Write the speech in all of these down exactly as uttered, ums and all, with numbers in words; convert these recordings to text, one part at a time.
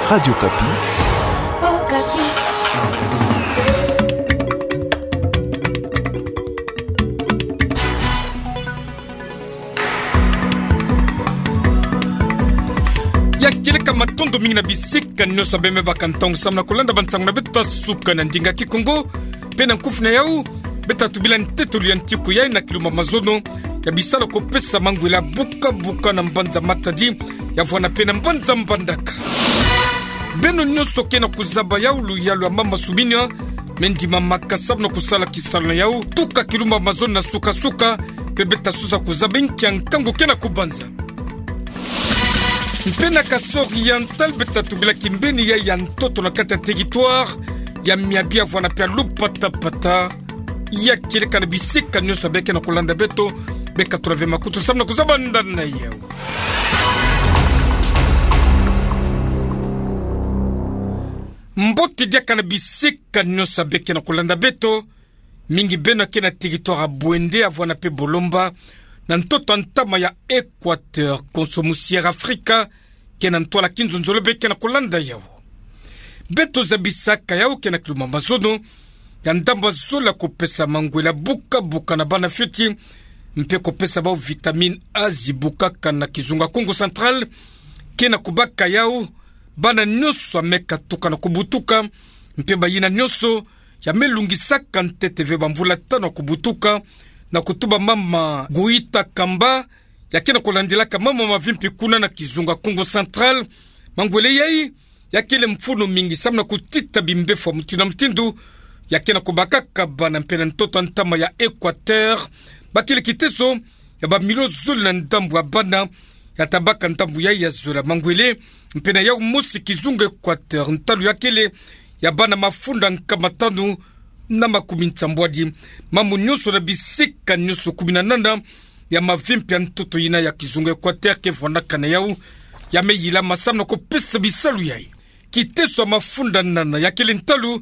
Radio Okapi. Okapi. Ya kieleka matondo mingi na bisika nyonso bemebaka ntangu samu na kulanda bansangu na beto ya suka na ndinga Kikongo, mpe na nkufi na yau, beta tubila ntetolo ya ntiku yayi na kilumbu ya mazono, ya bisalu ya kupesa mangwele ya buka-buka na mbanza Matadi, ya vwanda mpe na mbanza Mbandaka. Beno nyonso ke na kuzaba yau luyalu ya mama Subina, me ndimamaka samu na kusala kisalu na yau, tuka kilumbu ya mazono na suka-suka, mpe beta sosa kuzaba nki ya nkangu ke na kubanza. Mpe na Kasaï Oriental beta tubila kimbeni ya, ya ntoto na kati ya territoire ya Miabi ya vwanda mpe ya Lupatapata. Ya kieleka na bisika nyonso beke na kulanda beto, beka tula ve makutu samu na kuzaba ndani na yau. Mbote diaka na bisika nyonso beke na kulanda beto, mingi beno ke na territoire ya Bouendé ya vwanda mpe Bolomba, na ntoto ya ntama ya Équateur, konso musi Air Africa ke na ntwala kinzonzolo beke na kulanda yau. Beto zabisaka yau ke na kilumbu ya mazono, ya ndambu ya zole ya kupesa mangwele ya buka-buka na bana fioti, mpe kupesa bau vitamine A zibukaka na kizunga Kongo Central, ke na kubaka yau bana nyonso ya me katuka na kubutuka, mpe bayina nyonso ya me lungisaka ntete ve bamvula tanu ya kubutuka, na kutuba mama Goïta Kamba, ya ke na kulandilaka mambu ya mavimpi kuna na kizunga Kongo Central. Mangwele yayi ya kele mfunu mingi samu na kutita bimbevo ya mutindu na mutindu, ya ke na kubakaka bana mpe na ntoto ya ntama ya Équateur. Ba kele kiteso ya bamilio zole na ndambu ya bana ya ta baka ndambu yayi ya zole ya mangwele, mpe na yau mosi kizunga Équateur ntalu ya kele ya bana mafunda nkama tanu na makumi nsambwadi. Mambu nyonso na bisika nyonso kumi na nana ya mavimpi ya ntoto yina ya kizunga Équateur ke vwandaka na yau, ya me yilama samu na kupesa bisalu yayi. Kiteso ya mafunda nana ya kele ntalu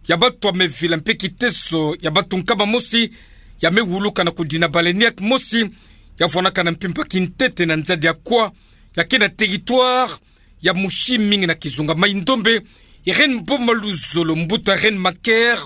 ya batu ya me vila mpe kiteso ya batu nkama mosi ya me wuluka na kudina baleinière mosi ya vwandaka na mpimpa kintete na nzadi ya Kwa, ya ke na territoire ya Mouchy mingi na kizunga Maï-Ndombe. Irène Boma Luzolo, mbuta Reine Maker,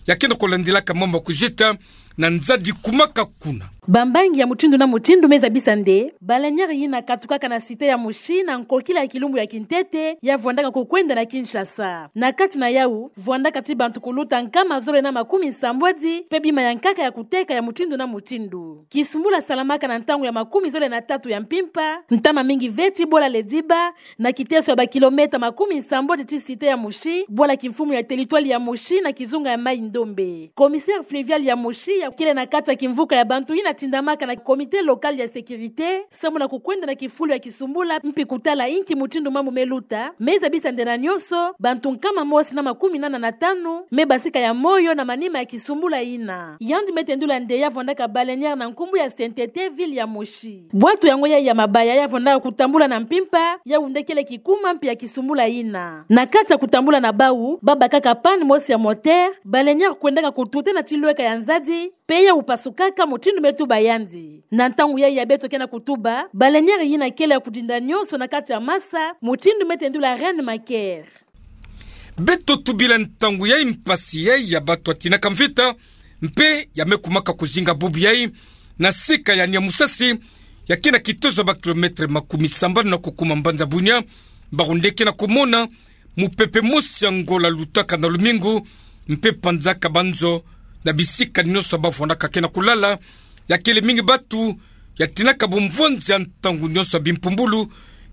ya ke na kulandilaka mambu ya kuzita na nzadi kumaka kuna. Bambangi ya mutindu na mutindu me zabisa nde baleinière yina katukaka na cité ya Mouchy na nkokila ya kilumbu ya kintete ya vwandaka kukwenda na Kinshasa. Na kati na yau, vwandaka ti bantu kuluta nkama zole na makumi nsambwadi, mpe bima ya nkaka ya kuteka ya mutindu na mutindu. Kisumbula salamaka na ntangu ya makumi zole na tatu ya mpimpa, ntama mingi ve ti bola Lediba, na kiteso ya bakilomètre makumi nsambwadi ti cité ya Mouchy, bwala kimfumu ya territoire ya Mouchy na kizunga ya Maï-Ndombe. Commissaire fluvial ya Mouchy, ya kele na kati ya kimvuka ya bantu yina tindamaka na comité local ya sécurité, samu na kukwenda na kifulu ya kisumbula, mpi kutala inki mutindu mambu me luta, me zabisa nde na nyonso, bantu nkama mosi na makumi nana na tanu me basika ya moyo na manima ya kisumbula yina. Yandi me tendula nde ya vwandaka baleinière na nkumbu ya Saint-Été, ville ya Mouchy. Bwatu yango yayi ya mabaya ya vwandaka kutambula na mpimpa, yau nde kele kikuma mpi ya kisumbula yina. Na kati ya kutambula na bau, ba bakaka panne mosi ya moteur, baleinière kwendaka kututana ti lweka ya nzadi, mpe yau pasukaka, mutindu me tuba yandi. Na ntangu yayi ya beto ke na kutuba, baleinière yina kele ya kudinda nyonso na kati ya masa, mutindu me tendula Reine Maker. Beto tubila ntangu yayi mpasi yayi ya batu ya tinaka mvita, mpe ya me kumaka kuzinga bubu yayi, na sika ya Niamusasi, ya ke na kiteso ya bakilomètre makumi sambanu na kukuma mbanza Bunia, bau nde ke na kumona mupepe mosi ya ngola lutaka na lumingu, mpe panzaka banzo na bisika nyonso ba vwandaka ke na kulala, ya kele mingi batu ya tinaka bumvonzi ya ntangu nyonso ya bimpumbulu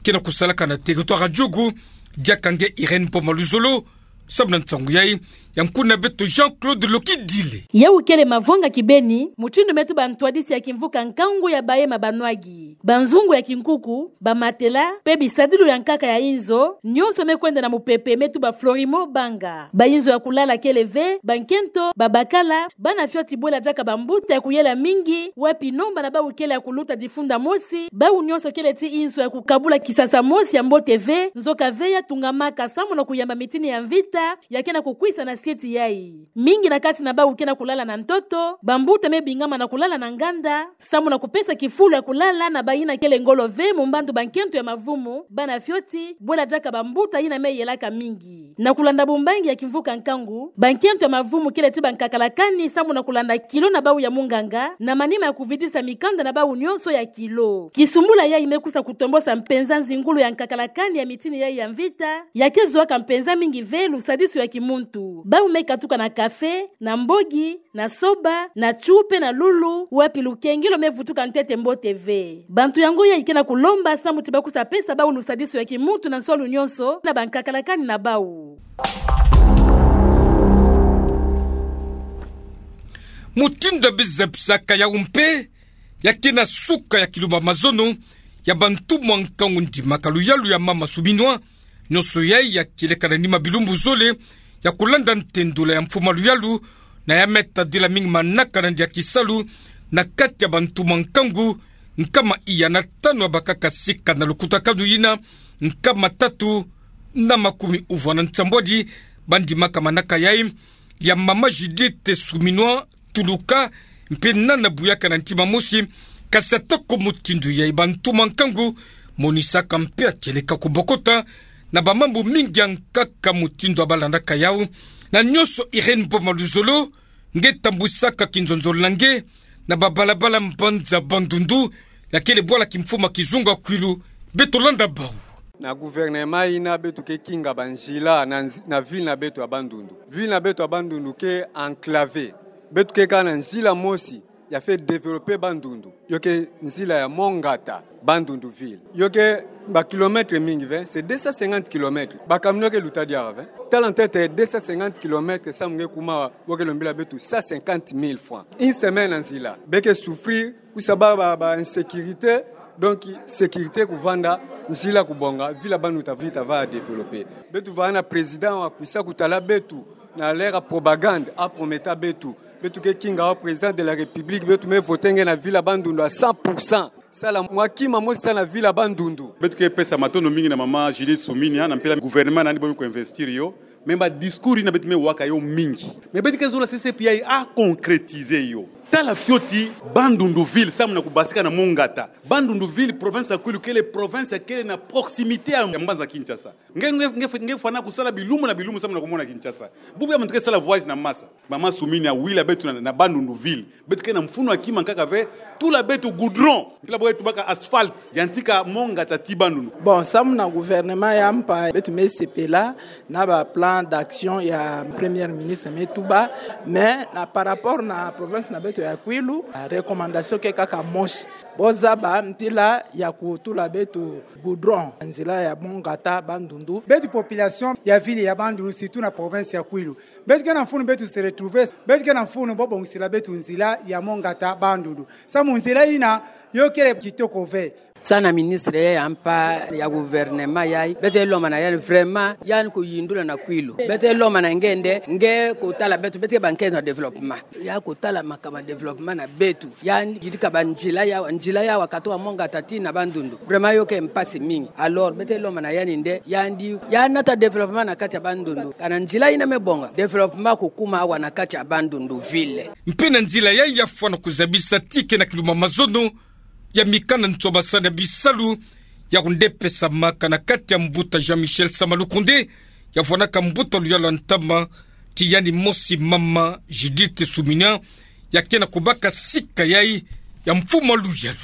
ke na kusalaka na territoire ya Djugu. Diaka nge Irène Boma Luzolo, samu na nsangu yayi, ya nkuna beto Jean-Claude Lokidile. Yau kele mavanga kibeni, mutindu me tuba ntwadisi ya kimvuka nkangu ya baye ma banwagi. Banzungu ya kinkuku, bamatela, mpe bisadilu ya nkaka ya inzo, nyonso me kwenda na mupepe me tuba Florimo Banga. Bainzo ya kulala kele ve, bankento, babakala, bana fioti bwela diaka bambuta ya kuyela mingi, wapi nomba na bau kele ya kuluta difunda mosi, bau nyonso kele ti inzo ya kukabula kisasa mosi ya mbote ve, nzoka ve ya tungamaka samu na kuyamba mitini ya mvita, ya ke na kukwisa na ntete yai. Mingi na kati na bau ke na kulala na ntoto, bambuta me bingama na kulala na nganda, samu na kupesa kifulu ya kulala na bayina kele ngolo ve mu mbandu bankento ya mavumu, bana fioti, bwela diaka bambuta yina me yelaka mingi. Na kulanda bumbangi ya kimvuka nkangu, bankento ya mavumu kele ti bankakalakani samu na kulanda kilo na bau ya munganga, na manima ya kuvidisa mikanda na bau nyonso ya kilo. Kisumbula yai me kusa kutombosa mpenza nzingulu ya nkakalakani ya mitini yai ya mvita, ya ke zuaka mpenza mingi ve lusadisu ya kimuntu. Bau me katuka na kafe, na mbogi, na soba, na chupe, na lulu, wapi lukengelo me vutuka ntete mbote ve. Bantu yango yai ke na kulomba samu ti ba kusa pesa bau lusadisu ya kimuntu na nswalu nyonso na bankakalakani na bau. Mutindu ya bizepsaka yau mpe, ya ke na suka ya kilumbu ya mazono ya bantu mwa nkangu ndimaka luyalu ya mama Suminwa, nyonso yai ya kieleka na nima bilumbu zole ya kulanda ntendula ya mfuma luyalu, na ya me tadila mingi manaka na ndia kisalu na kati ya bantu mwa nkangu nkama iya na tanu ya bakaka sika na lukutakanu yina, nkama tatu na makumi uvwa na nsambwadi ba ndimaka manaka yai ya mama Judith Suminwa Tuluka, mpe nana buyaka na ntima mosi, kasi atako mutindu yai bantu mwa nkangu monisaka mpe ya kieleka kubokota na bamambu mingi ya nkaka mutindu ya balandaka yau, na nyonso Irène Boma Luzolo, nge tambwisaka kinzonzolo na nge na babalabala mbanza Bandundu, ya kele bwala kimfuma kizunga kwilu. Beto landa bau. Na gouvernement yina beto ke kinga banzila na nzi-, na ville na beto ya Bandundu. Ville na beto ya Bandundu ke enclavée. Beto ke kaka na nzila mosi ya fweti développer Bandundu. Yo ke nzila ya Mont Ngata, Bandundu ville. Yo ke ba kilomètres mingi ve, c'est deux cent cinquante kilomètres. Ba camion ke luta diaka ve. Tala ntete deux cent cinquante kilomètres samu nge kuma awa, bo ke lombila beto cent cinquante mille francs. Une semaine na nzila. Be ke souffrir, kusa ba, ba, ba insécurité, donc sécurité kuvanda, nzila kubonga, ville ya Bandundu ta vita va développer. Beto vanda na président wa kusa kutala beto, na l'ère ya propagande, a promettre beto. Beto ke kinga wa président de la République, beto me voter nge na ville ya Bandundu à cent pour cent. Sala mwa kima mosi sa na ville ya Bandundu. Beto ke pesa matondo mingi na mama Judith Suminwa, na mpila gouvernement na yandi bo me ku investir yo. Mais ba discours yina beto me waka yo mingi. Mais beto ke zola C C P I a concrétiser yo. Tala fioti Bandundu ville, samu na kubasika na Mont Ngata. Bandundu ville, province ya Kwilu kele province ya kele na proximité ya mbanza Kinshasa. Nge, nge, nge, nge fwana kusala bilumbu na bilumbu samu na kumona Kinshasa. Bubu ya muntu ke sala voyage na masa. Mama Suminwa, wila beto na, na Bandundu ville. Beto ke na mfunu ya kima nkaka ve, tula beto goudron. Mpila bo ke tubaka asphalte. Yantika Mont Ngata tii Bandundu. Bon, samu na gouvernement ya mpa, beto me sepela na ba plan d'action ya Premier Ministre me tuba, mais na par rapport na province na beto ya Kwilu, recommandation ke kaka mosi. Bo zaba mpila ya kutula beto goudron, nzila ya Mont Ngata Bandundu. Beto population ya ville ya Bandundu, surtout na province ya Kwilu, beto ke na mfunu beto se retrouver, beto ke na mfunu bo bongisila beto nzila ya Mont Ngata Bandundu. Samu nzila yina yo kele kitoko ve. Sa na ministre ya mpa ya gouvernement yai, beto lomba na yandi vraiment, yandi kuyindula na Kwilu. Beto lomba na nge nde, nge kutala beto, beto ke bankento ya développement. Ya kutala makama développement na beto. Yandi yidika banzila yawu, nzila yawu katuka Mont Ngata tii na Bandundu. Vraiment yo ke mpasi mingi. Alors, beto lomba na yandi nde, yandi, ya nata développement na kati ya Bandundu. Kana nzila yina me bonga, développement kukuma awa na kati ya Bandundu ville. Mpe na nzila yai ya fwana kuzabisa ti ke na kilumbu ya mazono ya mikanda nswabasani ya bisalu, ya kunde pesamaka na kati ya mbuta Jean-Michel Sama Lukonde, ya fwanaka mbuta luyalu ya ntama, ti yandi mosi mama Judith Suminwa, ya ke na kubaka sika yai ya mfuma luyalu.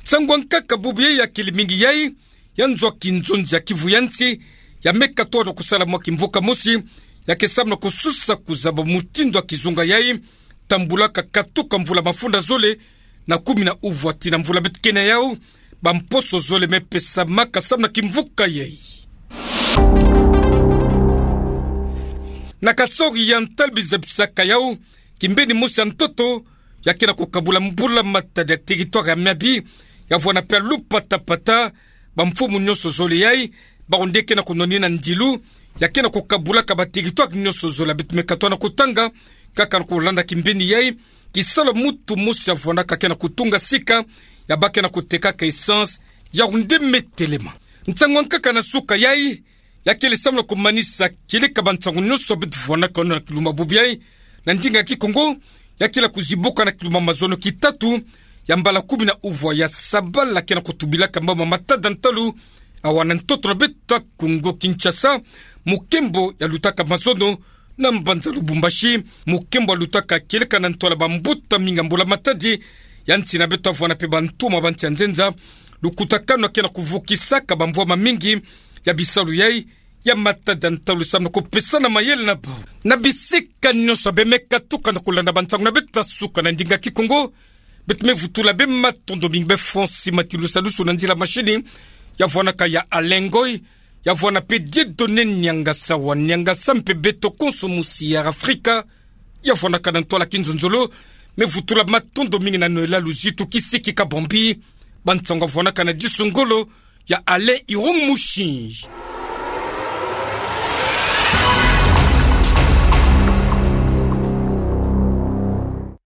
Nsangu ya nkaka bubu yai ya kele mingi yai, ya nzo ya kinzonzi ya Kivu ya nsi, ya me katoa na kusala mwa kimvuka mosi, ya ke samu na kususa kuzaba mutindu ya kizunga yai tambulaka katuka mvula mafunda zole na kumi na uvwa tii na mvula beto ke na yau, bamposo zole me pesamaka samu na kimvuka yai. Na Kasaï Oriental bizabisaka yau, kimbeni mosi ya ntoto, ya ke na kukabula mbula matadi ya territoire ya Miabi, ya vwanda mpe ya lupatapata, bamfumu nyonso zole yai, bawu nde ke na kunwanina ndilu, ya ke na kukabulaka ba territoire nyonso zole, beto me katoa na kutanga, kaka na kulanda kimbeni yai, kisalu ya mutu mosi ya vwandaka ke na kutunga sika, ya baka ke na kutekaka essence, yawu nde me telema. Nsangu ya nkaka na suka yai, Ya kele samu na kumanisa kieleka bansango nyonso beto vuanaka na kiluma bobi ae, na ndinga Kikongo, ya kele kuzibuka na kiluma mazono ki tatu, ya mbala kumi na uvua ya sabala ke na kutubilaka mambu ma matada ntalu, awa na ntoto na beto Kongo Kinshasa, mukembo ya lutaka mazono, na mbanza Lubumbashi, mukembo ya lutaka kieleka na ntwala bambuta mingi ya mbula matadi, ya nsi na beto vuana pe bantu ma bansi ya nzenza, lukutakanu ke na kuvukisaka bamvwama mingi, ya bisalu yai, ya matada ntalu samu na kupesana mayele na bau. Na bisika nyonso beno me katuka na kulanda bansango na beto suka na ndinga Kikongo, beto me vutula beno matondo mingi be Francis Matilusa Lusu na nzila mashini, ya vuanaka ya Alain Ngoy, ya vuana pe Dieudonné Niangasa wa Niangasa mpe beto konso musi ya Afrika, ya vuanaka na ntwala kinzonzolo, me vutula matondo mingi na Noëlla Luzitu Kisiki Kabambi, bansango ya vuanaka na Disu Ngolo, ya Alain Irung Mushinji.